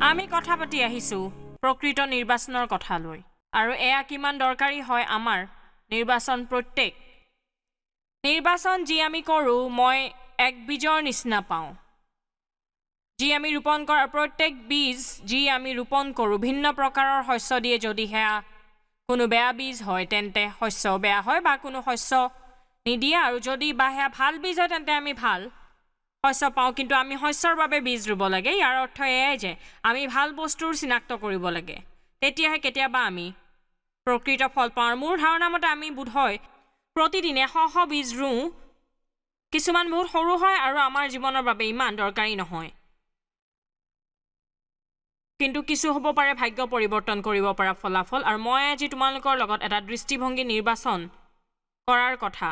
আমি কথা পাতি আহিছোঁ প্ৰকৃত নিৰ্বাচনৰ কথালৈ আৰু এয়া কিমান দৰকাৰী হয় আমাৰ নিৰ্বাচন। প্ৰত্যেক নিৰ্বাচন যি আমি কৰোঁ, মই এক বীজৰ নিচিনা পাওঁ যি আমি ৰোপণ কৰা। প্ৰত্যেক বীজ যি আমি ৰোপণ কৰোঁ ভিন্ন প্ৰকাৰৰ শস্য দিয়ে। যদি সেয়া কোনো বেয়া বীজ হয় তেন্তে শস্য বেয়া হয় বা কোনো শস্য নিদিয়ে, আৰু যদি বা সেয়া ভাল বীজ হয় তেন্তে আমি ভাল শস্য পাওঁ। কিন্তু আমি শস্যৰ বাবে বীজ ৰুব লাগে। ইয়াৰ অৰ্থ এয়াই যে আমি ভাল বস্তুৰ চিনাক্ত কৰিব লাগে, তেতিয়াহে কেতিয়াবা আমি প্ৰকৃত ফল পাওঁ। আৰু মোৰ ধাৰণা মতে আমি বোধহয় প্ৰতিদিনে শ শ বীজ ৰুওঁ। কিছুমান বহুত সৰু হয় আৰু আমাৰ জীৱনৰ বাবে ইমান দৰকাৰী নহয়, কিন্তু কিছু হ'ব পাৰে ভাগ্য পৰিৱৰ্তন কৰিব পৰা ফলাফল। আৰু মই আজি তোমালোকৰ লগত এটা দৃষ্টিভংগী নিৰ্বাচন কৰাৰ কথা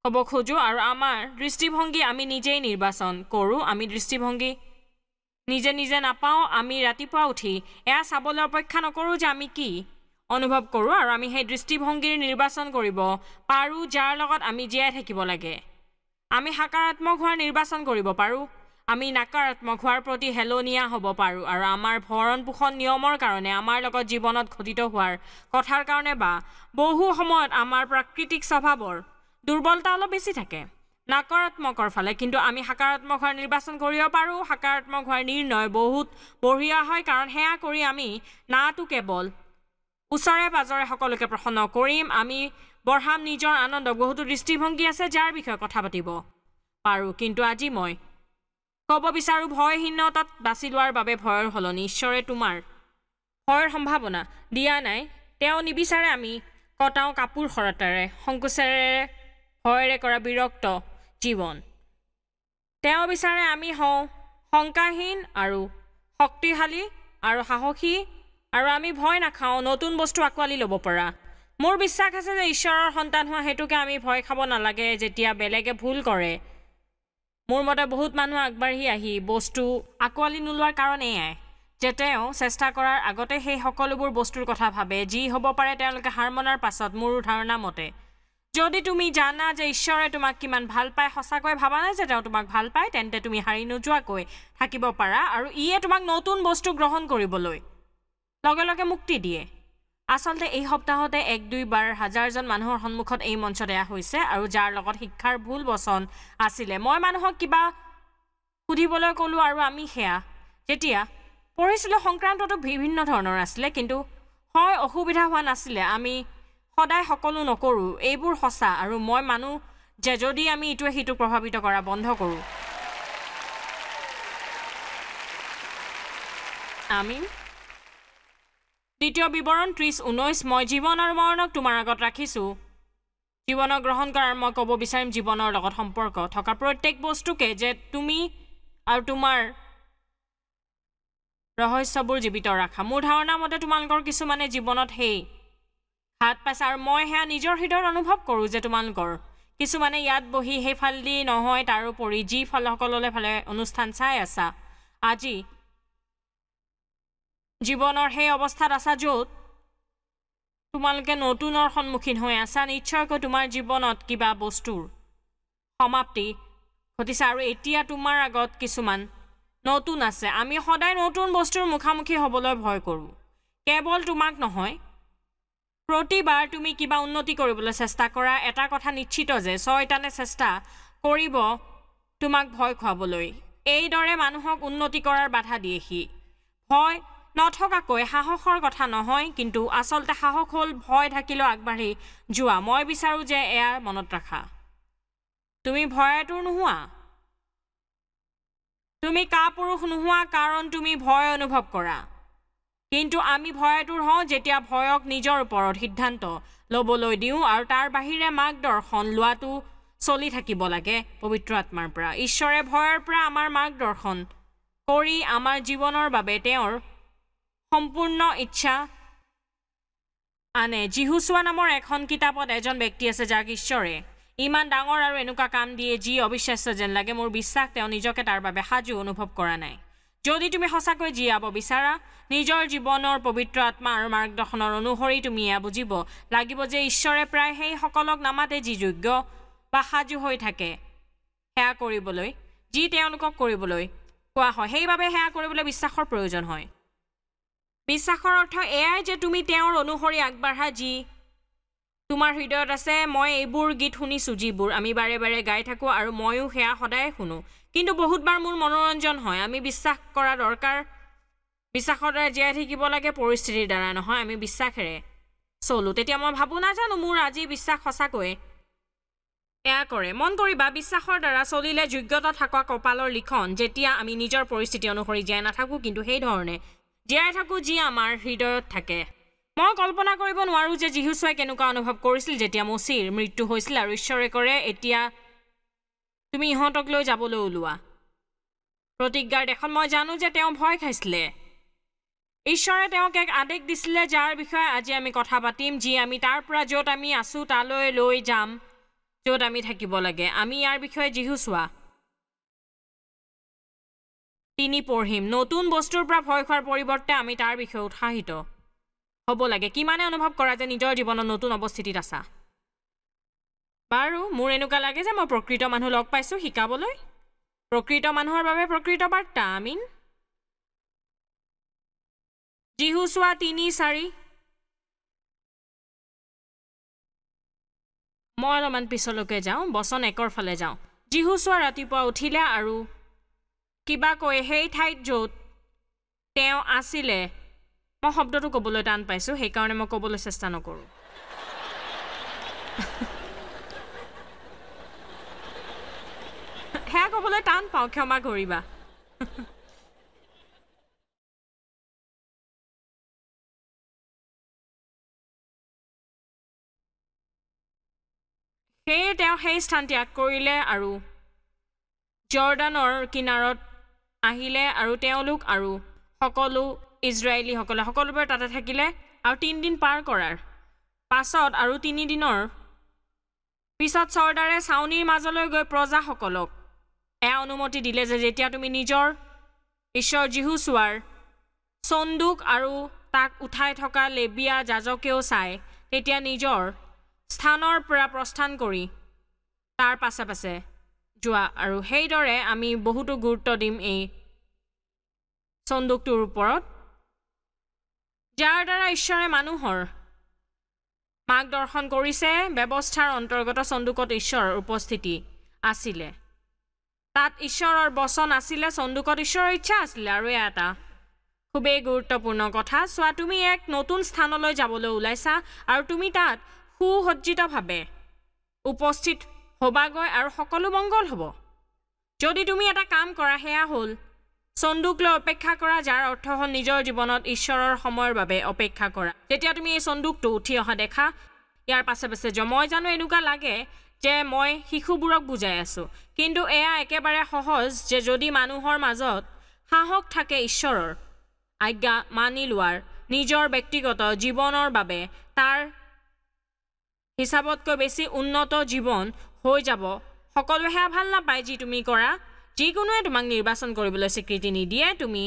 ক'ব খোজোঁ। আৰু আমাৰ দৃষ্টিভংগী আমি নিজেই নিৰ্বাচন কৰোঁ। আমি দৃষ্টিভংগী নিজে নিজে নাপাওঁ। আমি ৰাতিপুৱা উঠি এয়া চাবলৈ অপেক্ষা নকৰোঁ যে আমি কি অনুভৱ কৰোঁ, আৰু আমি সেই দৃষ্টিভংগীৰ নিৰ্বাচন কৰিব পাৰোঁ যাৰ লগত আমি জীয়াই থাকিব লাগে। আমি সকাৰাত্মক হোৱাৰ নিৰ্বাচন কৰিব পাৰোঁ, আমি নকাৰাত্মক হোৱাৰ প্ৰতি হেলনীয়া হ'ব পাৰোঁ। আৰু আমাৰ ভৰণ পোষণ নিয়মৰ কাৰণে, আমাৰ লগত জীৱনত ঘটিত হোৱাৰ কথাৰ কাৰণে বা বহু সময়ত আমাৰ প্ৰাকৃতিক স্বভাৱৰ দুৰ্বলতা অলপ বেছি থাকে নকাৰাত্মকৰ ফালে, কিন্তু আমি সকাৰাত্মক হোৱাৰ নিৰ্বাচন কৰিব পাৰোঁ। সকাৰাত্মক হোৱাৰ নিৰ্ণয় বহুত বঢ়িয়া হয়, কাৰণ সেয়া কৰি আমি নাটো কেৱল ওচৰে পাজৰে সকলোকে প্ৰসন্ন কৰিম, আমি বঢ়াম নিজৰ আনন্দ। বহুতো দৃষ্টিভংগী আছে যাৰ বিষয়ে কথা পাতিব পাৰোঁ, কিন্তু আজি মই ক'ব বিচাৰোঁ ভয়হীনতাত বাছি লোৱাৰ বাবে ভয়ৰ সলনি ঈশ্বৰে তোমাৰ ভয়ৰ সম্ভাৱনা দিয়া নাই। তেওঁ নিবিচাৰে আমি কটাওঁ কাপোৰ সৰতাৰে, সংকোচেৰে, ভয়েৰে কৰা বিৰক্ত জীৱন। তেওঁ বিচাৰে আমি হওঁ শংকাহীন আৰু শক্তিশালী আৰু সাহসী, আৰু আমি ভয় নাখাওঁ, নতুন বস্তু আঁকোৱালি ল'ব পৰা। মোৰ বিশ্বাস আছে যে ঈশ্বৰৰ সন্তান হোৱা হেতুকে আমি ভয় খাব নালাগে যেতিয়া বেলেগে ভুল কৰে। মোৰ মতে বহুত মানুহ আগবাঢ়ি আহি বস্তু আঁকোৱালি নোলোৱাৰ কাৰণ এয়াই যে তেওঁ চেষ্টা কৰাৰ আগতে সেই সকলোবোৰ বস্তুৰ কথা ভাবে যি হ'ব পাৰে তেওঁলোকে হাৰ মনাৰ পাছত। মোৰ ধাৰণা মতে যদি তুমি জানা যে ঈশ্বৰে তোমাক কিমান ভাল পায়, সঁচাকৈ ভাবানে যে তেওঁ তোমাক ভাল পায়, তেন্তে তুমি হাৰি নোযোৱাকৈ থাকিব পাৰা, আৰু ইয়ে তোমাক নতুন বস্তু গ্ৰহণ কৰিবলৈ লগে লগে মুক্তি দিয়ে। আচলতে এই সপ্তাহতে 1-2 বাৰ হাজাৰজন মানুহৰ সন্মুখত এই মঞ্চত এয়া হৈছে, আৰু যাৰ লগত শিক্ষাৰ ভুল বচন আছিলে। মই মানুহক কিবা সুধিবলৈ ক'লোঁ আৰু আমি সেয়া যেতিয়া পঢ়িছিলোঁ সংক্ৰান্তটো বিভিন্ন ধৰণৰ আছিলে, কিন্তু হয় অসুবিধা হোৱা নাছিলে। আমি সদায় সকলো নকৰোঁ, এইবোৰ সঁচা। আৰু মই মানো যে যদি আমি ইটোৱে সিটোক প্ৰভাৱিত কৰা বন্ধ কৰোঁ, আমি দ্বিতীয় বিৱৰণ 30:19, মই জীৱন আৰু মৰণক তোমাৰ আগত ৰাখিছোঁ। জীৱনক গ্ৰহণ কৰাৰ মই ক'ব বিচাৰিম জীৱনৰ লগত সম্পৰ্ক থকা প্ৰত্যেক বস্তুকে যে তুমি আৰু তোমাৰ ৰহস্যবোৰ জীৱিত ৰাখা। মোৰ ধাৰণা মতে তোমালোকৰ কিছুমানে জীৱনত সেই হাত পাইছে, আৰু মই সেয়া নিজৰ হৃদয়ত অনুভৱ কৰোঁ যে তোমালোকৰ কিছুমানে ইয়াত বহি সেইফালেদি নহয়, তাৰোপৰি যি সকলোৰে ফালে অনুষ্ঠান চাই আছা, আজি জীৱনৰ সেই অৱস্থাত আছা য'ত তোমালোকে নতুনৰ সন্মুখীন হৈ আছা। নিশ্চয়কৈ তোমাৰ জীৱনত কিবা বস্তুৰ সমাপ্তি ঘটিছে আৰু এতিয়া তোমাৰ আগত কিছুমান নতুন আছে। আমি সদায় নতুন বস্তুৰ মুখামুখি হ'বলৈ ভয় কৰোঁ, কেৱল তোমাক নহয়। প্ৰতিবাৰ তুমি কিবা উন্নতি কৰিবলৈ চেষ্টা কৰা, এটা কথা নিশ্চিত যে চয়তানে চেষ্টা কৰিব তোমাক ভয় খুৱাবলৈ। এইদৰে মানুহক উন্নতি কৰাৰ বাধা দিয়ে সি। ভয় নথকাকৈ সাহসৰ কথা নহয়, কিন্তু আচলতে সাহস হ'ল ভয় থাকিলেও আগবাঢ়ি যোৱা। মই বিচাৰোঁ যে এয়া মনত ৰাখা, তুমি ভয়াতুৰ নোহোৱা, তুমি কাপুৰুষ নোহোৱা, কাৰণ তুমি ভয় অনুভৱ কৰা। কিন্তু আমি ভয়াতুৰ হওঁ যেতিয়া ভয়ক নিজৰ ওপৰত সিদ্ধান্ত ল'বলৈ দিওঁ, আৰু তাৰ বাহিৰে মাৰ্গদৰ্শন লোৱাটো চলি থাকিব লাগে পবিত্ৰ আত্মাৰ পৰা। ঈশ্বৰে ভয়ৰ পৰা আমাৰ মাৰ্গদৰ্শন কৰি আমাৰ জীৱনৰ বাবে তেওঁৰ সম্পূৰ্ণ ইচ্ছা আনে। যিহোচূৱা নামৰ এখন কিতাপত এজন ব্যক্তি আছে যাক ঈশ্বৰে ইমান ডাঙৰ আৰু এনেকুৱা কাম দিয়ে যি অবিশ্বাস্য যেন লাগে। মোৰ বিশ্বাস তেওঁ নিজকে তাৰ বাবে সাজু অনুভৱ কৰা নাই। যদি তুমি সঁচাকৈ জীয়াব বিচাৰা, নিজৰ জীৱনৰ পবিত্ৰ আত্মা আৰু মাৰ্গদৰ্শনৰ অনুসৰি তুমি এয়া বুজিব লাগিব যে ঈশ্বৰে প্ৰায় সেইসকলক নামাতে যি যোগ্য বা সাজু হৈ থাকে সেয়া কৰিবলৈ, যি তেওঁলোকক কৰিবলৈ কোৱা হয়। সেইবাবে সেয়া কৰিবলৈ বিশ্বাসৰ প্ৰয়োজন হয়। বিশ্বাসৰ অৰ্থ এয়াই যে তুমি তেওঁৰ অনুসৰি আগবাঢ়া যি তোমাৰ হৃদয়ত আছে। মই এইবোৰ গীত শুনিছোঁ যিবোৰ আমি বাৰে বাৰে গাই থাকোঁ আৰু ময়ো সেয়া সদায় শুনো, কিন্তু বহুতবাৰ মোৰ মনোৰঞ্জন হয়। আমি বিশ্বাস কৰা দৰকাৰ, বিশ্বাসৰ দ্বাৰা জীয়াই থাকিব লাগে, পৰিস্থিতিৰ দ্বাৰা নহয়। আমি বিশ্বাসেৰে চলোঁ। তেতিয়া মই ভাবোঁ, নাজানো মোৰ আজি বিশ্বাস সঁচাকৈয়ে এয়া কৰে। মন কৰিবা, বিশ্বাসৰ দ্বাৰা চলিলে যোগ্যতা থকা কপালৰ লিখন, যেতিয়া আমি নিজৰ পৰিস্থিতি অনুসৰি জীয়াই নাথাকোঁ, কিন্তু সেই ধৰণে জীয়াই থাকোঁ যি আমাৰ হৃদয়ত থাকে। মই কল্পনা কৰিব নোৱাৰোঁ যে যীচুৱে কেনেকুৱা অনুভৱ কৰিছিল যেতিয়া মোচিৰ মৃত্যু হৈছিল আৰু ঈশ্বৰে কৰে, এতিয়া তুমি ইহঁতক লৈ যাবলৈ ওলোৱা প্ৰতিজ্ঞাৰ দেশত। মই জানো যে তেওঁ ভয় খাইছিলে। ঈশ্বৰে তেওঁক এক আদেশ দিছিলে যাৰ বিষয়ে আজি আমি কথা পাতিম, যি আমি তাৰ পৰা য'ত আমি আছোঁ তালৈ লৈ যাম, য'ত আমি থাকিব লাগে। আমি ইয়াৰ বিষয়ে যিহোচূৱা 3 পঢ়িম। নতুন বস্তুৰ পৰা ভয় খোৱাৰ পৰিৱৰ্তে আমি তাৰ বিষয়ে উৎসাহিত হ'ব লাগে। কিমানে অনুভৱ কৰা যে নিজৰ জীৱনত নতুন অৱস্থিতিত আছা? বাৰু, মোৰ এনেকুৱা লাগে যে মই প্ৰকৃত মানুহ লগ পাইছোঁ শিকাবলৈ, প্ৰকৃত মানুহৰ বাবে প্ৰকৃত বাৰ্তা। আমিন। যিহোচূৱা 3:4। মই অলপমান পিছলৈকে যাওঁ, বচন 1 ফালে যাওঁ। যিহোচূৱা ৰাতিপুৱা উঠিলে আৰু কিবা কৈ সেই ঠাইত য'ত তেওঁ আছিলে, মই শব্দটো ক'বলৈ টান পাইছোঁ, সেইকাৰণে মই ক'বলৈ চেষ্টা নকৰোঁ। সেয়া ক'বলৈ টান পাওঁ, ক্ষমা কৰিবা। সেয়ে তেওঁ সেই স্থান ত্যাগ কৰিলে আৰু জৰ্দানৰ কিনাৰত আহিলে, আৰু তেওঁলোক আৰু সকলো ইজৰাইলীসকলে সকলোবোৰে তাতে থাকিলে। আৰু 3 দিন পাৰ কৰাৰ পাছত আৰু 3 দিনৰ পিছত চৰ্দাৰে ছাউনিৰ মাজলৈ গৈ প্ৰজাসকলক এয়া অনুমতি দিলে যে যেতিয়া তুমি নিজৰ ঈশ্বৰ যিহোচূৱাৰ চন্দুক আৰু তাক উঠাই থকা লেবীয়া যাজকেও চায়, তেতিয়া নিজৰ স্থানৰ পৰা প্ৰস্থান কৰি তাৰ পাছে পাছে যোৱা। আৰু সেইদৰে আমি বহুতো গুৰুত্ব দিম এই চন্দুকটোৰ ওপৰত, যাৰ দ্বাৰা ঈশ্বৰে মানুহৰ মাৰ্গদৰ্শন কৰিছে। ব্যৱস্থাৰ অন্তৰ্গত চন্দুকত ঈশ্বৰৰ উপস্থিতি আছিলে, তাত ঈশ্বৰৰ বচন আছিলে, চন্দুকত ঈশ্বৰৰ ইচ্ছা আছিলে। আৰু এয়া এটা খুবেই গুৰুত্বপূৰ্ণ কথা। চোৱা, তুমি এক নতুন স্থানলৈ যাবলৈ ওলাইছা আৰু তুমি তাত সুসজ্জিতভাৱে উপস্থিত হ'বাগৈ আৰু সকলো মংগল হ'ব। যদি তুমি এটা কাম কৰা, সেয়া হ'ল চন্দুক লৈ অপেক্ষা কৰা, যাৰ অৰ্থ হ'ল নিজৰ জীৱনত ঈশ্বৰৰ সময়ৰ বাবে অপেক্ষা কৰা। যেতিয়া তুমি এই চন্দুকটো উঠি অহা দেখা, ইয়াৰ পাছে পাছে যোৱা। মই জানো এনেকুৱা লাগে যে মই শিশুবোৰক বুজাই আছোঁ, কিন্তু এয়া একেবাৰে সহজ যে যদি মানুহৰ মাজত সাহস থাকে ঈশ্বৰৰ আজ্ঞা মানি লোৱাৰ, নিজৰ ব্যক্তিগত জীৱনৰ বাবে তাৰ হিচাপতকৈ বেছি উন্নত জীৱন হৈ যাব। সকলোৱে সেয়া ভাল নাপায় যি তুমি কৰা, যিকোনোৱে তোমাক নিৰ্বাচন কৰিবলৈ স্বীকৃতি নিদিয়ে। তুমি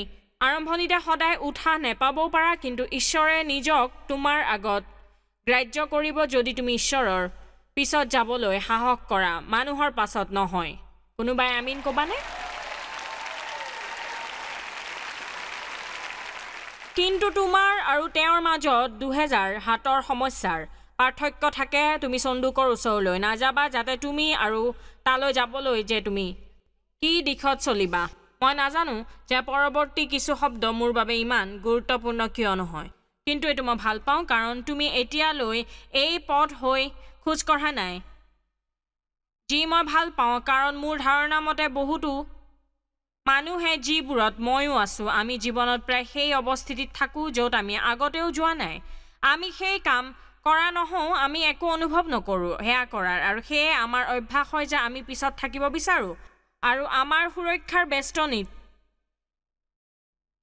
আৰম্ভণিতে সদায় উৎসাহ নেপাবও পাৰা, কিন্তু ঈশ্বৰে নিজক তোমাৰ আগত গ্ৰাহ্য কৰিব যদি তুমি ঈশ্বৰৰ পিছত যাবলৈ সাহস কৰা, মানুহৰ পাছত নহয়। কোনোবাই আমিন ক'বানে? কিন্তু তোমাৰ আৰু তেওঁৰ মাজত 2000 হাতৰ সমস্যাৰ পাৰ্থক্য থাকে। তুমি চন্দুকৰ ওচৰলৈ নাযাবা যাতে তুমি আৰু তালৈ যাবলৈ যে তুমি কি দিশত চলিবা। মই নাজানো যে পৰৱৰ্তী কিছু শব্দ মোৰ বাবে ইমান গুৰুত্বপূৰ্ণ কিয় নহয়, কিন্তু এইটো মই ভাল পাওঁ, কাৰণ তুমি এতিয়ালৈ এই পথ হৈ খোজ কঢ়া নাই, যি মই ভাল পাওঁ। কাৰণ মোৰ ধাৰণা মতে বহুতো মানুহে, যিবোৰত ময়ো আছোঁ, আমি জীৱনত প্ৰায় সেই অৱস্থিতিত থাকোঁ য'ত আমি আগতেও যোৱা নাই। আমি সেই কাম কৰা নহওঁ, আমি একো অনুভৱ নকৰোঁ সেয়া কৰাৰ, আৰু সেয়ে আমাৰ অভ্যাস হয় যে আমি পিছত থাকিব বিচাৰোঁ আৰু আমাৰ সুৰক্ষাৰ বেষ্টনীত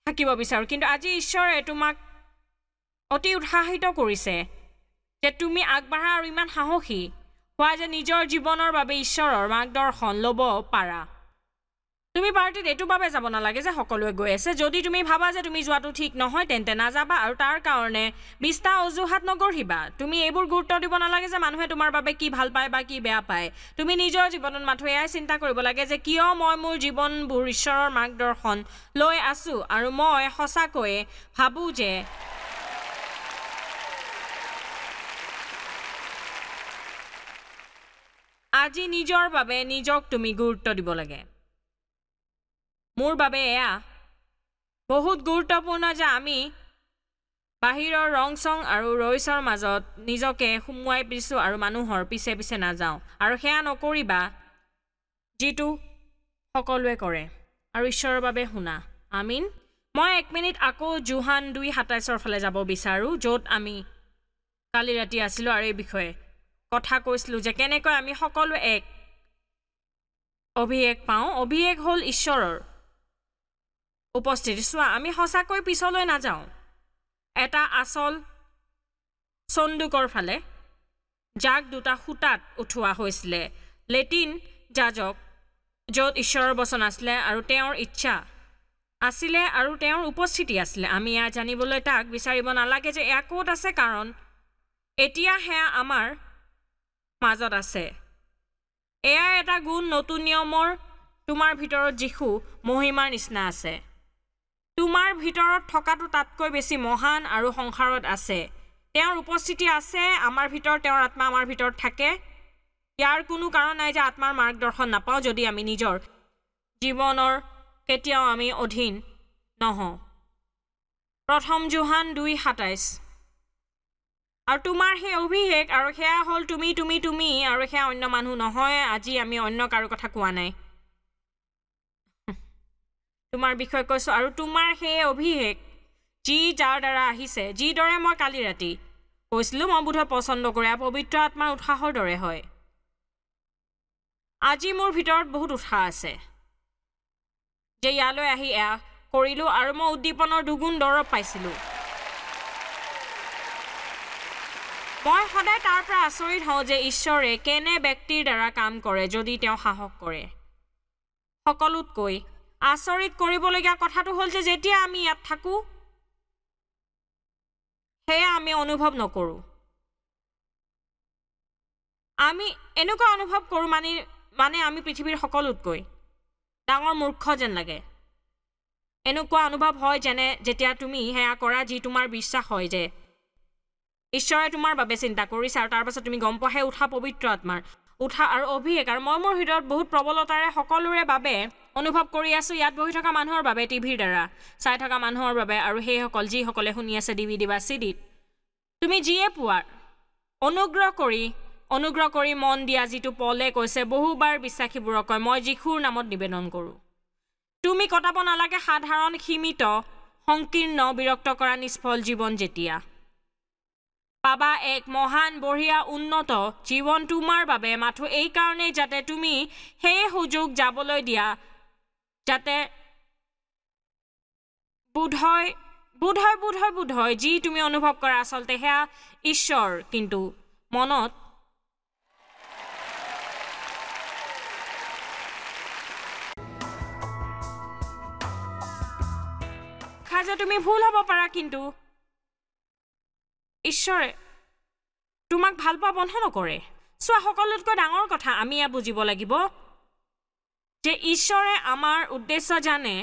থাকিব বিচাৰোঁ। কিন্তু আজি ঈশ্বৰে তোমাক অতি উৎসাহিত কৰিছে যে তুমি আগবাঢ়া আৰু ইমান সাহসী হোৱা যে নিজৰ জীৱনৰ বাবে ঈশ্বৰৰ মাৰ্গদৰ্শন ল'ব পাৰা। তুমি পাৰ্টিত এইটো বাবে যাব নালাগে যে সকলোৱে গৈ আছে। যদি তুমি ভাবা যে তুমি যোৱাটো ঠিক নহয়, তেন্তে নাযাবা আৰু তাৰ কাৰণে 20টা অজুহাত নগঢ়িবা। তুমি এইবোৰ গুৰুত্ব দিব নালাগে যে মানুহে তোমাৰ বাবে কি ভাল পায় বা কি বেয়া পায়। তুমি নিজৰ জীৱনত মাথো এয়াই চিন্তা কৰিব লাগে যে কিয় মই মোৰ জীৱনবোৰ ঈশ্বৰৰ মাৰ্গদৰ্শন লৈ আছোঁ। আৰু মই সঁচাকৈয়ে ভাবোঁ যে আজি নিজৰ বাবে নিজক তুমি গুৰুত্ব দিব লাগে। মোৰ বাবে এয়া বহুত গুৰুত্বপূৰ্ণ যে আমি বাহিৰৰ ৰং চং আৰু ৰইচৰ মাজত নিজকে সুমুৱাই দিছোঁ আৰু মানুহৰ পিছে পিছে নাযাওঁ। আৰু সেয়া নকৰিবা যিটো সকলোৱে কৰে, আৰু ঈশ্বৰৰ বাবে শুনা। আমিন। মই 1 মিনিট আকৌ যোহান 2:27 ফালে যাব বিচাৰোঁ, য'ত আমি কালি ৰাতি আছিলোঁ আৰু এই বিষয়ে কথা কৈছিলোঁ যে কেনেকৈ আমি সকলোৱে এক অভিষেক পাওঁ। অভিষেক হ'ল ঈশ্বৰৰ উপস্থিতি। চোৱা, আমি সঁচাকৈ পিছলৈ নাযাওঁ, এটা আচল চন্দুকৰ ফালে, যাক দুটা সূতাত উঠোৱা হৈছিলে, লেটিন যাজক, য'ত ঈশ্বৰৰ বচন আছিলে আৰু তেওঁৰ ইচ্ছা আছিলে আৰু তেওঁৰ উপস্থিতি আছিলে। আমি এয়া জানিবলৈ তাক বিচাৰিব নালাগে যে এয়া ক'ত আছে, কাৰণ এতিয়া সেয়া আমাৰ মাজত আছে। এয়া এটা গুণ নতুন নিয়মৰ, তোমাৰ ভিতৰত যীশু মহিমাৰ নিচিনা আছে। তোমাৰ ভিতৰত থকাটো তাতকৈ বেছি মহান আৰু সংসাৰত আছে। তেওঁৰ উপস্থিতি আছে আমাৰ ভিতৰত, তেওঁৰ আত্মা আমাৰ ভিতৰত থাকে। ইয়াৰ কোনো কাৰণ নাই যে আত্মাৰ মাৰ্গদৰ্শন নাপাওঁ যদি আমি নিজৰ জীৱনৰ কেতিয়াও আমি অধীন নহওঁ। প্ৰথম যোহান 2:27। আৰু তোমাৰ সেই অভিষেক, আৰু সেয়া হ'ল তুমি তুমি তুমি, আৰু সেয়া অন্য মানুহ নহয়। আজি আমি অন্য কাৰো কথা কোৱা নাই, তোমাৰ বিষয়ে কৈছোঁ। আৰু তোমাৰ সেই অভিষেক যি যাৰ দ্বাৰা আহিছে, যিদৰে মই কালি ৰাতি কৈছিলোঁ, মই বোধহয় পচন্দ কৰে পবিত্ৰ আত্মাৰ উৎসাহৰ দৰে হয়। আজি মোৰ ভিতৰত বহুত উৎসাহ আছে যে ইয়ালৈ আহি এয়া কৰিলোঁ আৰু মই উদ্দীপনৰ দুগুণ দৰৱ পাইছিলোঁ। মই সদায় তাৰ পৰা আচৰিত হওঁ যে ঈশ্বৰে কেনে ব্যক্তিৰ দ্বাৰা কাম কৰে যদি তেওঁ সাহস কৰে। সকলোতকৈ আচৰিত কৰিবলগীয়া কথাটো হ'ল যে যেতিয়া আমি ইয়াত থাকোঁ, সেয়া আমি অনুভৱ নকৰোঁ। আমি এনেকুৱা অনুভৱ কৰোঁ মানে আমি পৃথিৱীৰ সকলোতকৈ ডাঙৰ মূৰ্খ যেন লাগে। এনেকুৱা অনুভৱ হয় যেনে যেতিয়া তুমি সেয়া কৰা যি তোমাৰ বিশ্বাস হয় যে ঈশ্বৰে তোমাৰ বাবে চিন্তা কৰিছে, আৰু তাৰপাছত তুমি গম পোৱা সেই উৎসাহ পবিত্ৰ আত্মাৰ উৎসাহ আৰু অভিষেক। আৰু মই মোৰ হৃদয়ত বহুত প্ৰবলতাৰে সকলোৰে বাবে অনুভৱ কৰি আছোঁ, ইয়াত বহি থকা মানুহৰ বাবে, টিভিৰ দ্বাৰা চাই থকা মানুহৰ বাবে, আৰু সেইসকল যিসকলে শুনি আছে ডিভিডি বা চিডিত। তুমি যিয়ে পোৱাৰ অনুগ্ৰহ কৰি মন দিয়া, যিটো পলে কৈছে বহুবাৰ বিশ্বাসীবোৰক কয়, মই যীশুৰ নামত নিবেদন কৰোঁ। তুমি কটাব নালাগে সাধাৰণ, সীমিত, সংকীৰ্ণ, বিৰক্ত কৰা নিষ্ফল জীৱন। যেতিয়া পাবা এক মহান, বঢ়িয়া, উন্নত জীৱন তোমাৰ বাবে, মাথো এইকাৰণেই যাতে তুমি সেই সুযোগ যাবলৈ দিয়া, যাতে বোধহয় যি তুমি অনুভৱ কৰা আচলতে সেয়া ঈশ্বৰ, কিন্তু মনত যে তুমি ভুল হ'ব পাৰা, কিন্তু ঈশ্বৰে তোমাক ভাল পোৱা বন্ধ নকৰে। চোৱা, সকলোতকৈ ডাঙৰ কথা আমি এয়া বুজিব লাগিব যে ঈশ্বৰে আমাৰ উদ্দেশ্য জানে,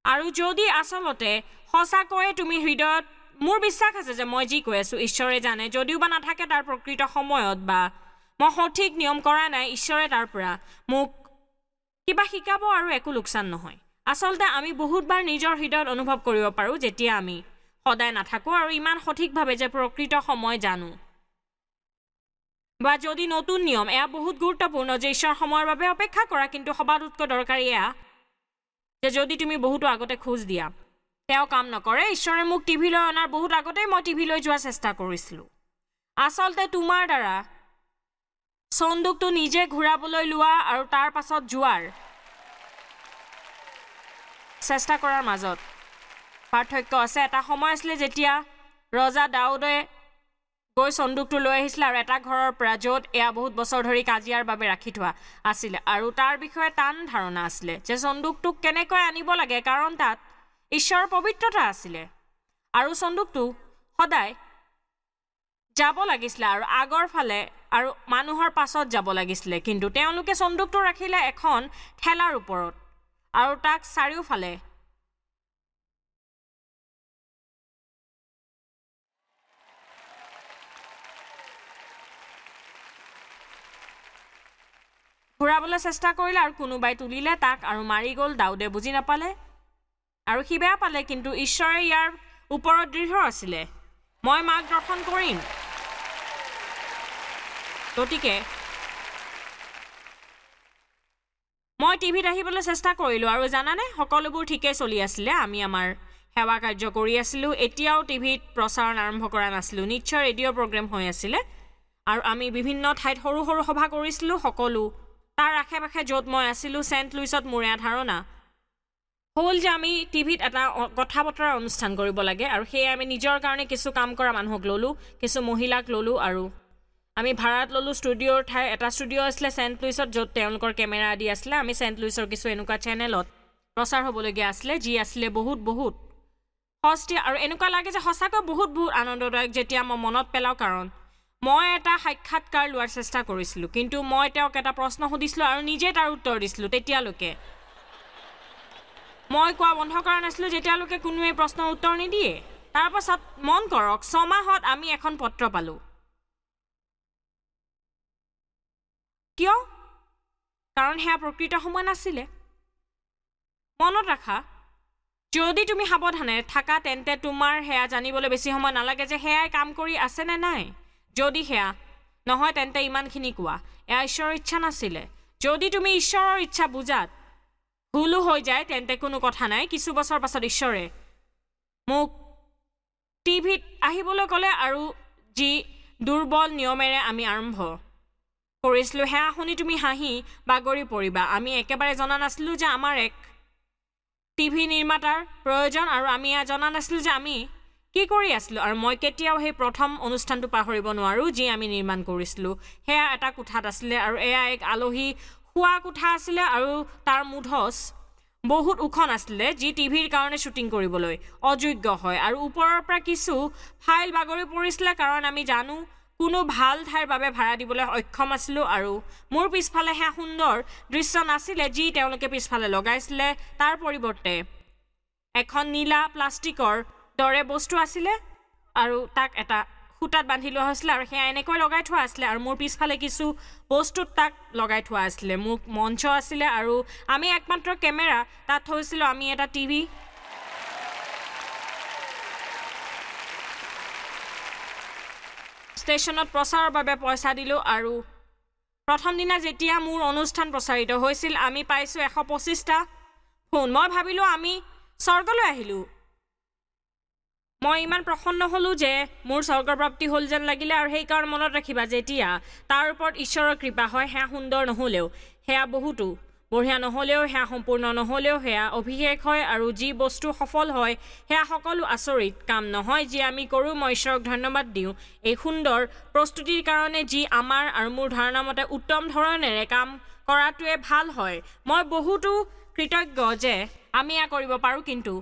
আৰু যদি আচলতে সঁচাকৈয়ে তুমি হৃদয়ত, মোৰ বিশ্বাস আছে যে মই যি কৈ আছোঁ ঈশ্বৰে জানে, যদিও বা নাথাকে তাৰ প্ৰকৃত সময়ত বা মই সঠিক নিয়ম কৰা নাই, ঈশ্বৰে তাৰ পৰা মোক কিবা শিকাব আৰু একো লোকচান নহয়। আচলতে আমি বহুতবাৰ নিজৰ হৃদয়ত অনুভৱ কৰিব পাৰোঁ যেতিয়া আমি সদায় নাথাকোঁ আৰু ইমান সঠিকভাৱে যে প্ৰকৃত সময় জানো। বা যদি নতুন নিয়ম, এয়া বহুত গুৰুত্বপূৰ্ণ যে ঈশ্বৰ সময়ৰ বাবে অপেক্ষা কৰা, কিন্তু সবাতোতকৈ দৰকাৰী এয়া যে যদি তুমি বহুতো আগতে খোজ দিয়া, তেওঁ কাম নকৰে। ঈশ্বৰে মোক টিভিলৈ অনাৰ বহুত আগতেই মই টিভিলৈ যোৱাৰ চেষ্টা কৰিছিলোঁ। আচলতে তোমাৰ দ্বাৰা চন্দুকটো নিজে ঘূৰাবলৈ লোৱা আৰু তাৰ পাছত যোৱাৰ চেষ্টা কৰাৰ মাজত পাৰ্থক্য আছে। এটা সময় আছিলে যেতিয়া ৰজা দাউদে গৈ চন্দুকটো লৈ আহিছিলে আৰু এটা ঘৰৰ পৰা য'ত এয়া বহুত বছৰ ধৰি কাজিয়াৰ বাবে ৰাখি থোৱা আছিলে আৰু তাৰ বিষয়ে টান ধাৰণা আছিলে যে চন্দুকটোক কেনেকৈ আনিব লাগে, কাৰণ তাত ঈশ্বৰৰ পবিত্ৰতা আছিলে আৰু চন্দুকটো সদায় যাব লাগিছিলে আৰু আগৰ ফালে আৰু মানুহৰ পাছত যাব লাগিছিলে। কিন্তু তেওঁলোকে চন্দুকটো ৰাখিলে এখন ঠেলাৰ ওপৰত আৰু তাক চাৰিওফালে ঘূৰাবলৈ চেষ্টা কৰিলে আৰু কোনোবাই তুলিলে তাক আৰু মাৰি গ'ল। দাউদে বুজি নাপালে আৰু সি বেয়া পালে, কিন্তু ঈশ্বৰে ইয়াৰ ওপৰত দৃঢ় আছিলে, মই মাৰ্গদৰ্শন কৰিম। গতিকে মই টিভিত আহিবলৈ চেষ্টা কৰিলোঁ আৰু জানানে, সকলোবোৰ ঠিকেই চলি আছিলে। আমি আমাৰ সেৱা কাৰ্য কৰি আছিলোঁ, এতিয়াও টিভিত প্ৰচাৰণ আৰম্ভ কৰা নাছিলোঁ, নিশ্চয় ৰেডিঅ' প্ৰগ্ৰেম হৈ আছিলে আৰু আমি বিভিন্ন ঠাইত সৰু সৰু সভা কৰিছিলোঁ। সকলো তাৰ আশে পাশে য'ত মই আছিলোঁ, ছেণ্ট লুইছত মোৰ এয়া ধাৰণা হ'ল যে আমি টিভিত এটা কথা বতৰা অনুষ্ঠান কৰিব লাগে আৰু সেয়ে আমি নিজৰ কাৰণে কিছু কাম কৰা মানুহক ল'লোঁ, কিছু মহিলাক ল'লোঁ আৰু আমি ভাড়াত ল'লোঁ ষ্টুডিঅ'ৰ ঠাই। এটা ষ্টুডিঅ' আছিলে ছেণ্ট লুইছত য'ত তেওঁলোকৰ কেমেৰা আদি আছিলে। আমি ছেণ্ট লুইছৰ কিছু এনেকুৱা চেনেলত প্ৰচাৰ হ'বলগীয়া আছিলে যি আছিলে বহুত বহুত সস্তীয়া আৰু এনেকুৱা লাগে যে সঁচাকৈ বহুত বহুত আনন্দদায়ক যেতিয়া মই মনত পেলাওঁ, কাৰণ মই এটা সাক্ষাৎকাৰ লোৱাৰ চেষ্টা কৰিছিলোঁ, কিন্তু মই তেওঁক এটা প্ৰশ্ন সুধিছিলোঁ আৰু নিজে তাৰ উত্তৰ দিছিলোঁ। তেতিয়ালৈকে মই কোৱা বন্ধ কৰা নাছিলোঁ যেতিয়ালৈকে কোনোৱে প্ৰশ্নৰ উত্তৰ নিদিয়ে। তাৰপাছত মন কৰক, 6 মাহত আমি এখন পত্ৰ পালোঁ। কিয়? কাৰণ সেয়া প্ৰকৃত সময় নাছিলে। মনত ৰাখা, যদি তুমি সাৱধানে থাকা তেন্তে তোমাৰ সেয়া জানিবলৈ বেছি সময় নালাগে যে সেয়াই কাম কৰি আছে নে নাই। যদি সেয়া নহয় তেন্তে ইমানখিনি কোৱা, এয়া ঈশ্বৰৰ ইচ্ছা নাছিলে। যদি তুমি ঈশ্বৰৰ ইচ্ছা বুজাত ভুলো হৈ যায় তেন্তে কোনো কথা নাই। কিছু বছৰ পাছত ঈশ্বৰে মোক টিভিত আহিবলৈ ক'লে আৰু যি দুৰ্বল নিয়মেৰে আমি আৰম্ভ কৰিছিলোঁ সেয়া শুনি তুমি হাঁহি বাগৰি পৰিবা। আমি একেবাৰে জনা নাছিলোঁ যে আমাৰ এক টিভি নিৰ্মাতাৰ প্ৰয়োজন আৰু আমি এয়া জনা নাছিলোঁ যে আমি কি কৰি আছিলোঁ। আৰু মই কেতিয়াও সেই প্ৰথম অনুষ্ঠানটো পাহৰিব নোৱাৰোঁ যি আমি নিৰ্মাণ কৰিছিলোঁ। সেয়া এটা কোঠাত আছিলে আৰু এয়া এক আলহী শোৱা কোঠা আছিলে আৰু তাৰ মুধচ বহুত ওখ নাছিলে যি টিভিৰ কাৰণে শ্বুটিং কৰিবলৈ অযোগ্য হয় আৰু ওপৰৰ পৰা কিছু ফাইল বাগৰি পৰিছিলে, কাৰণ আমি জানো কোনো ভাল ঠাইৰ বাবে ভাড়া দিবলৈ অক্ষম আছিলোঁ। আৰু মোৰ পিছফালে সেয়া সুন্দৰ দৃশ্য নাছিলে যি তেওঁলোকে পিছফালে লগাইছিলে, তাৰ পৰিৱৰ্তে এখন নীলা প্লাষ্টিকৰ দৰে বস্তু আছিলে আৰু তাক এটা সূতাত বান্ধি লোৱা হৈছিলে আৰু সেয়া এনেকৈ লগাই থোৱা আছিলে আৰু মোৰ পিছফালে কিছু বস্তুত তাক লগাই থোৱা আছিলে। মোক মঞ্চ আছিলে আৰু আমি একমাত্ৰ কেমেৰা তাত থৈছিলোঁ। আমি এটা টিভি ষ্টেচনত প্ৰচাৰৰ বাবে পইচা দিলোঁ আৰু প্ৰথম দিনা যেতিয়া মোৰ অনুষ্ঠান প্ৰচাৰিত হৈছিল আমি পাইছোঁ 125টা ফোন। মই ভাবিলোঁ আমি স্বৰ্গলৈ আহিলোঁ। মই ইমান প্ৰসন্ন হ'লোঁ যে মোৰ স্বৰ্গপ্ৰাপ্তি হ'ল যেন লাগিলে। আৰু সেইকাৰণে মনত ৰাখিবা, যেতিয়া তাৰ ওপৰত ঈশ্বৰৰ কৃপা হয় সেয়া সুন্দৰ নহ'লেও, সেয়া বহুতো বঢ়িয়া নহ'লেও, সেয়া সম্পূৰ্ণ নহ'লেও সেয়া অভিষেক হয় আৰু যি বস্তু সফল হয় সেয়া সকলো আচৰিত কাম নহয় যি আমি কৰোঁ। মই ঈশ্বৰক ধন্যবাদ দিওঁ এই সুন্দৰ প্ৰস্তুতিৰ কাৰণে যি আমাৰ আৰু মোৰ ধাৰণা মতে উত্তম ধৰণেৰে কাম কৰাটোৱে ভাল হয়। মই বহুতো কৃতজ্ঞ যে আমি এয়া কৰিব পাৰোঁ, কিন্তু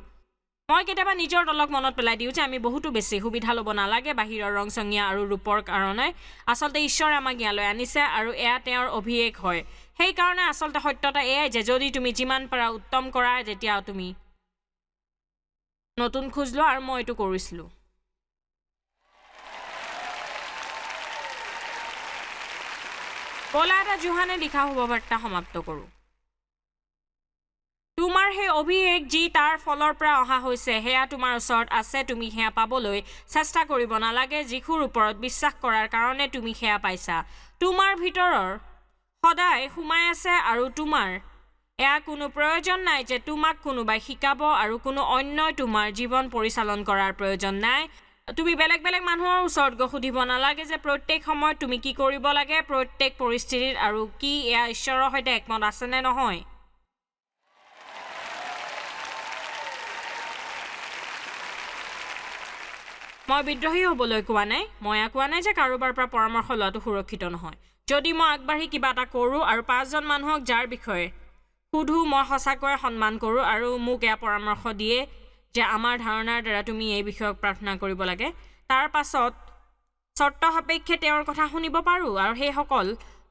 মই কেতিয়াবা নিজৰ দলক মনত পেলাই দিওঁ যে আমি বহুতো বেছি সুবিধা ল'ব নালাগে বাহিৰৰ ৰংচঙীয়া আৰু ৰূপৰ কাৰণে। আচলতে ঈশ্বৰে আমাক ইয়ালৈ আনিছে আৰু এয়া তেওঁৰ অভিষেক হয়। সেইকাৰণে আচলতে সত্যতা এয়াই যে যদি তুমি যিমান পাৰা উত্তম কৰা, যেতিয়া তুমি নতুন খোজ লোৱা। আৰু মই এইটো কৰিছিলোঁ। ব'লা এটা যোহানে লিখা শুভবাৰ্তা সমাপ্ত কৰোঁ। তোমাৰ সেই অভিষেক যি তাৰ ফলৰ পৰা অহা হৈছে সেয়া তোমাৰ ওচৰত আছে, তুমি সেয়া পাবলৈ চেষ্টা কৰিব নালাগে। যীশুৰ ওপৰত বিশ্বাস কৰাৰ কাৰণে তুমি সেয়া পাইছা। তোমাৰ ভিতৰৰ সদায় সোমাই আছে আৰু তোমাৰ এয়া কোনো প্ৰয়োজন নাই যে তোমাক কোনোবাই শিকাব আৰু কোনো অন্যই তোমাৰ জীৱন পৰিচালন কৰাৰ প্ৰয়োজন নাই। তুমি বেলেগ বেলেগ মানুহৰ ওচৰত গৈ সুধিব নালাগে যে প্ৰত্যেক সময়ত তুমি কি কৰিব লাগে, প্ৰত্যেক পৰিস্থিতিত আৰু কি এয়া ঈশ্বৰৰ সৈতে একমত আছেনে নহয়। মই বিদ্ৰোহী হ'বলৈ কোৱা নাই, মই কোৱা নাই যে কাৰোবাৰ পৰা পৰামৰ্শ লোৱাটো সুৰক্ষিত নহয়। যদি মই আগবাঢ়ি কিবা এটা কৰোঁ আৰু 5জন মানুহক যাৰ বিষয়ে সোধোঁ মই সঁচাকৈয়ে সন্মান কৰোঁ আৰু মোক এয়া পৰামৰ্শ দিয়ে যে আমাৰ ধাৰণাৰ দ্বাৰা তুমি এই বিষয়ক প্ৰাৰ্থনা কৰিব লাগে, তাৰ পাছত চৰ্ত সাপেক্ষে তেওঁৰ কথা শুনিব পাৰোঁ। আৰু সেইসকল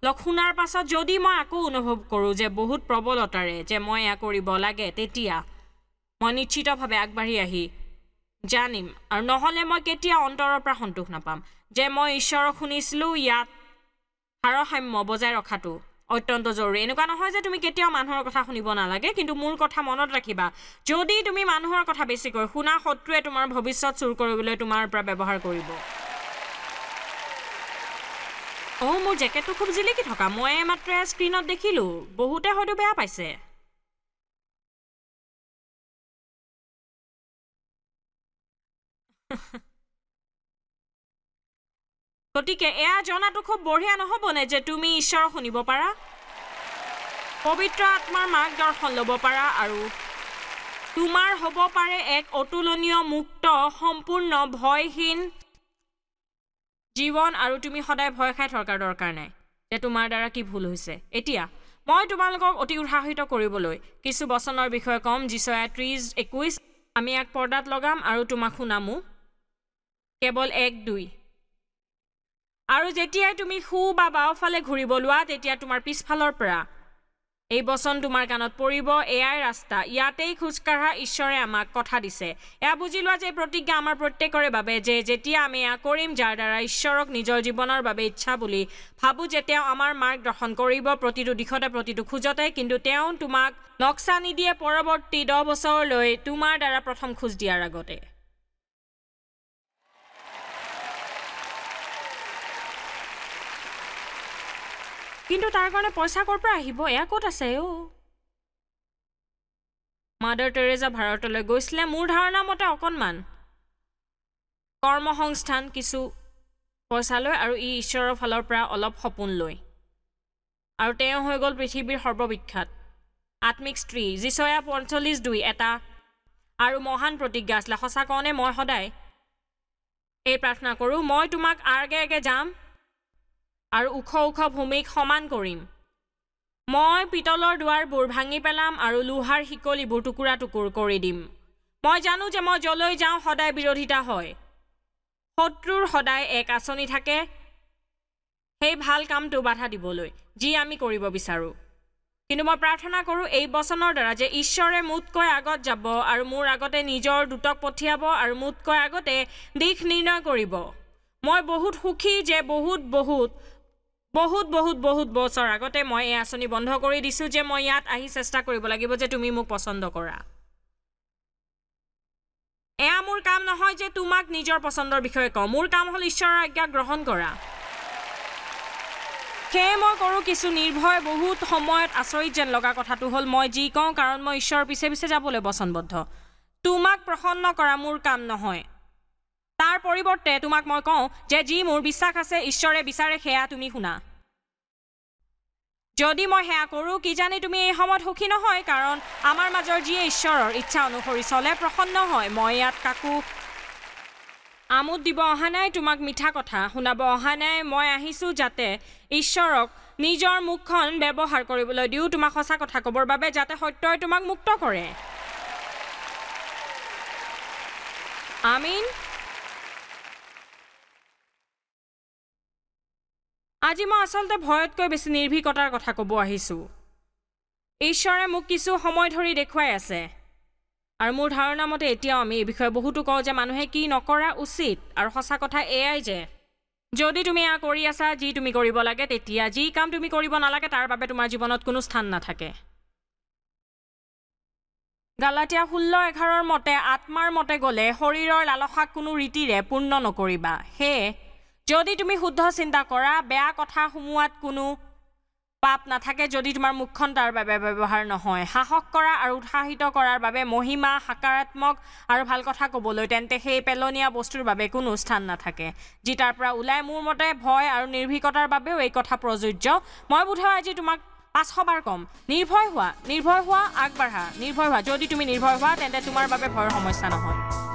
লগ শুনাৰ পাছত যদি মই আকৌ অনুভৱ কৰোঁ যে বহুত প্ৰবলতাৰে যে মই এয়া কৰিব লাগে, তেতিয়া মই নিশ্চিতভাৱে আগবাঢ়ি আহি জানিম, আৰু নহ'লে মই কেতিয়াও অন্তৰৰ পৰা সন্তোষ নাপাম যে মই ঈশ্বৰক শুনিছিলোঁ। ইয়াত ভাৰসাম্য বজাই ৰখাটো অত্যন্ত জৰুৰী। এনেকুৱা নহয় যে তুমি কেতিয়াও মানুহৰ কথা শুনিব নালাগে, কিন্তু মোৰ কথা মনত ৰাখিবা, যদি তুমি মানুহৰ কথা বেছিকৈ শুনা, শত্ৰুৱে তোমাৰ ভৱিষ্যত চুৰ কৰিবলৈ তোমাৰ পৰা ব্যৱহাৰ কৰিব। অ', মোৰ জেকেটটো খুব জিলিকি থকা, মই মাত্ৰ স্ক্ৰীণত দেখিলোঁ, বহুতে হয়তো বেয়া পাইছে। গতিকে এয়া জনাটো খুব বঢ়িয়া নহ'বনে যে তুমি ঈশ্বৰক শুনিব পাৰা, পবিত্ৰ আত্মাৰ মাৰ্গদৰ্শন ল'ব পাৰা, আৰু তোমাৰ হ'ব পাৰে এক অতুলনীয়, মুক্ত, সম্পূৰ্ণ, ভয়হীন জীৱন, আৰু তুমি সদায় ভয় খাই থকাৰ দৰকাৰ নাই যে তোমাৰ দ্বাৰা কি ভুল হৈছে। এতিয়া মই তোমালোকক অতি উৎসাহিত কৰিবলৈ কিছু বচনৰ বিষয়ে ক'ম। যিচয়া 30:21 আমি এক পৰ্দাত লগাম আৰু তোমাক শুনামো, কেৱল 1-2। আৰু যেতিয়াই তুমি সোঁ বা বাওঁফালে ঘূৰিব লোৱা, তেতিয়া তোমাৰ পিছফালৰ পৰা এই বচন তোমাৰ কাণত পৰিব, এয়াই ৰাস্তা, ইয়াতেই খোজকাঢ়া, ঈশ্বৰে আমাক কথা দিছে। এয়া বুজি লোৱা যে এই প্ৰতিজ্ঞা আমাৰ প্ৰত্যেকৰে বাবে, যে যেতিয়া আমি এয়া কৰিম, যাৰ দ্বাৰা ঈশ্বৰক নিজৰ জীৱনৰ বাবে ইচ্ছা বুলি ভাবোঁ যে তেওঁ আমাৰ মাৰ্গদৰ্শন কৰিব প্ৰতিটো দিশতে, প্ৰতিটো খোজতে, কিন্তু তেওঁ তোমাক নক্সা নিদিয়ে পৰৱৰ্তী 10 বছৰলৈ তোমাৰ দ্বাৰা প্ৰথম খোজ দিয়াৰ আগতে। কিন্তু তাৰ কাৰণে পইচা ক'ৰ পৰা আহিব, এয়া ক'ত আছে? অ', মাদাৰ টেৰেজা ভাৰতলৈ গৈছিলে, মোৰ ধাৰণা মতে অকণমান কৰ্মসংস্থান, কিছু পইচা লৈ, আৰু ই ঈশ্বৰৰ ফালৰ পৰা অলপ সপোন লৈ, আৰু তেওঁ হৈ গ'ল পৃথিৱীৰ সৰ্ববিখ্যাত আত্মিক স্ত্ৰী। যিচয়া 45:2 এটা আৰু মহান প্ৰতিজ্ঞা আছিলে। সঁচা কওঁনে মই সদায় এই প্ৰাৰ্থনা কৰোঁ, মই তোমাক আগে আগে যাম আৰু ওখ ওখ ভূমিক সমান কৰিম, মই পিতলৰ দুৱাৰবোৰ ভাঙি পেলাম আৰু লোহাৰ শিকলিবোৰ টুকুৰা টুকুৰ কৰি দিম। মই জানো যে মই যলৈ যাওঁ সদায় বিৰোধিতা হয়, শত্ৰুৰ সদায় এক আঁচনি থাকে সেই ভাল কামটো বাধা দিবলৈ যি আমি কৰিব বিচাৰোঁ। কিন্তু মই প্ৰাৰ্থনা কৰোঁ এই বচনৰ দ্বাৰা যে ঈশ্বৰে মোতকৈ আগত যাব আৰু মোৰ আগতে নিজৰ দূতক পঠিয়াব আৰু মোতকৈ আগতে দিশ নিৰ্ণয় কৰিব। মই বহুত সুখী যে বহুত বহুত বহুত বহুত বহুত বছৰ আগতে মই এই আঁচনি বন্ধ কৰি দিছোঁ যে মই ইয়াত আহি চেষ্টা কৰিব লাগিব যে তুমি মোক পচন্দ কৰা। এয়া মোৰ কাম নহয় যে তোমাক নিজৰ পচন্দৰ বিষয়ে কওঁ, মোৰ কাম হ'ল ঈশ্বৰৰ আজ্ঞা গ্ৰহণ কৰা। সেয়ে মই কৰোঁ কিছু নিৰ্ভয়, বহুত সময়ত আচৰিত যেন লগা কথাটো হ'ল মই যি কওঁ, কাৰণ মই ঈশ্বৰৰ পিছে পিছে যাবলৈ বচনবদ্ধ। তোমাক প্ৰসন্ন কৰা মোৰ কাম নহয়, তাৰ পৰিৱৰ্তে তোমাক মই কওঁ যে যি মোৰ বিশ্বাস আছে ঈশ্বৰে বিচাৰে সেয়া তুমি শুনা। যদি মই সেয়া কৰোঁ, কিজানি তুমি এই সময়ত সুখী নহয়, কাৰণ আমাৰ মাজৰ যিয়ে ঈশ্বৰৰ ইচ্ছা অনুসৰি চলে প্ৰসন্ন হয়। মই ইয়াত কাকো আমোদ দিব অহা নাই, তোমাক মিঠা কথা শুনাব অহা নাই, মই আহিছোঁ যাতে ঈশ্বৰক নিজৰ মুখখন ব্যৱহাৰ কৰিবলৈ দিওঁ তোমাক সঁচা কথা ক'বৰ বাবে, যাতে সত্যই তোমাক মুক্ত কৰে। আমিন। আজি মই আচলতে ভয়তকৈ বেছি নিৰ্ভীকতাৰ কথা ক'ব আহিছোঁ। ঈশ্বৰে মোক কিছু সময় ধৰি দেখুৱাই আছে, আৰু মোৰ ধাৰণা মতে এতিয়াও আমি এই বিষয়ে বহুতো কওঁ যে মানুহে কি নকৰা উচিত, আৰু সঁচা কথা এয়াই যে যদি তুমি এয়া কৰি আছা যি তুমি কৰিব লাগে, তেতিয়া যি কাম তুমি কৰিব নালাগে তাৰ বাবে তোমাৰ জীৱনত কোনো স্থান নাথাকে। গালাটীয়া 16:11 মতে আত্মাৰ মতে গ'লে শৰীৰৰ লালসাক কোনো ৰীতিৰে পূৰ্ণ নকৰিবা। সেয়ে যদি তুমি শুদ্ধ চিন্তা কৰা, বেয়া কথা সোমোৱাত কোনো পাপ নাথাকে যদি তোমাৰ মুখখন তাৰ বাবে ব্যৱহাৰ নহয়। সাহস কৰা আৰু উৎসাহিত কৰাৰ বাবে মহিমা, সকাৰাত্মক আৰু ভাল কথা ক'বলৈ, তেন্তে সেই পেলনীয়া বস্তুৰ বাবে কোনো স্থান নাথাকে যি তাৰ পৰা ওলায়। মোৰ মতে ভয় আৰু নিৰ্ভীকতাৰ বাবেও এই কথা প্ৰযোজ্য। মই বোধহয় আজি তোমাক 500 বাৰ ক'ম, নিৰ্ভয় হোৱা, নিৰ্ভয় হোৱা, আগবাঢ়া, নিৰ্ভয় হোৱা। যদি তুমি নিৰ্ভয় হোৱা তেন্তে তোমাৰ বাবে ভয়ৰ সমস্যা নহয়।